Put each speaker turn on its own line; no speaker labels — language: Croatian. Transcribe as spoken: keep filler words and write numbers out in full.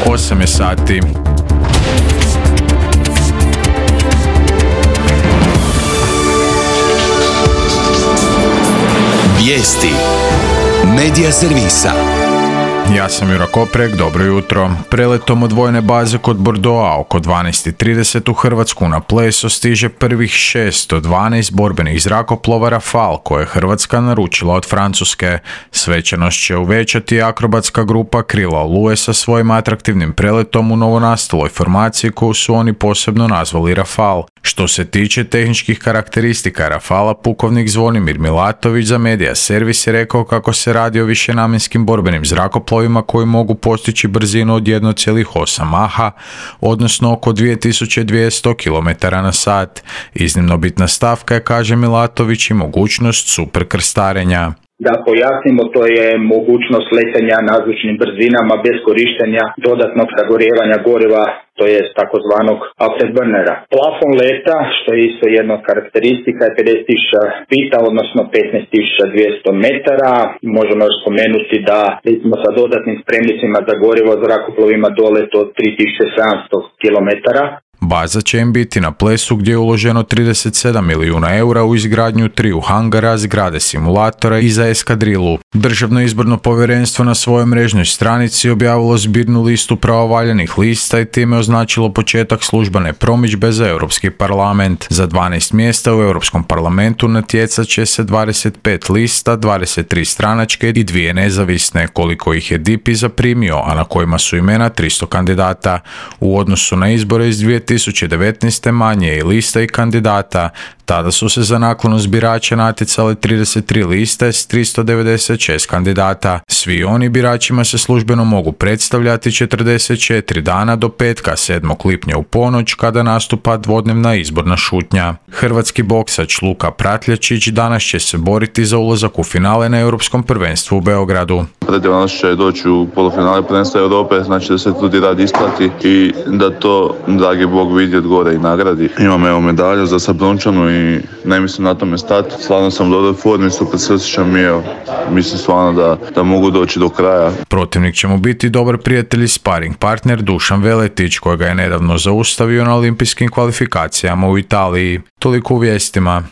osam je sati.
Vijesti Medija servisa.
Ja sam Jura Koprek, dobro jutro. Preletom od vojne baze kod Bordeauxa oko dvanaest i trideset u Hrvatsku na Pleso stiže prvih šesto dvanaest borbenih zrakoplova Rafale koje je Hrvatska naručila od Francuske. Svečanost će uvećati akrobatska grupa Krila Oluje sa svojim atraktivnim preletom u novonastaloj formaciji koju su oni posebno nazvali Rafale. Što se tiče tehničkih karakteristika Rafala, pukovnik Zvonimir Milatović za Medija servis je rekao kako se radi o višenamjenskim borbenim zrakoplovima koji mogu postići brzinu od jedan zarez osam maha, odnosno oko dvije tisuće dvjesto kilometara na sat. Iznimno bitna stavka je, kaže Milatović, i mogućnost superkrstarenja.
Da pojasnimo, to je mogućnost letenja nazvučnim brzinama bez korištenja dodatnog sagorijevanja goriva, to je takozvanog afterburnera. Plafon leta, što je isto jedna od karakteristika, je pedeset tisuća fita, odnosno petnaest tisuća dvjesto metara. Možemo još spomenuti da recimo sa dodatnim spremnicima za gorivo zrakoplovima dolet od tri tisuće sedamsto kilometara.
Baza će im biti na Plesu gdje je uloženo trideset sedam milijuna eura u izgradnju triju hangara, zgrade simulatora i za eskadrilu. Državno izborno povjerenstvo na svojoj mrežnoj stranici objavilo zbirnu listu pravovaljanih lista i time označilo početak službene promidžbe za Europski parlament. Za dvanaest mjesta u Europskom parlamentu natjecat će se dvadeset pet lista, dvadeset tri stranačke i dvije nezavisne, koliko ih je D I P I zaprimio, a na kojima su imena tristo kandidata. U odnosu na izbore iz dvije tisuće devetnaeste manje je i lista i kandidata. Tada su se za naklonost birača natjecale trideset tri liste s tristo devedeset šest kandidata. Svi oni biračima se službeno mogu predstavljati četrdeset četiri dana do petka sedmog lipnja u ponoć kada nastupa dvodnevna izborna šutnja. Hrvatski boksač Luka Pratljačić danas će se boriti za ulazak u finale na Europskom prvenstvu u Beogradu.
Danas će doći u polufinale prvenstva Europe, znači da se tudi rad isplati i da to dragi Bog vidi od gore i nagradi. Imam evo medalju za Sabrunčanu i ne mislim na tome stati. Stvarno sam u dobroj formi, super se osjećam i evo, mislim stvarno da, da mogu doći do kraja.
Protivnik će mu biti dobar prijatelj i sparing partner Dušan Veletić, kojega je nedavno zaustavio na olimpijskim kvalifikacijama u Italiji. Toliko u vijestima.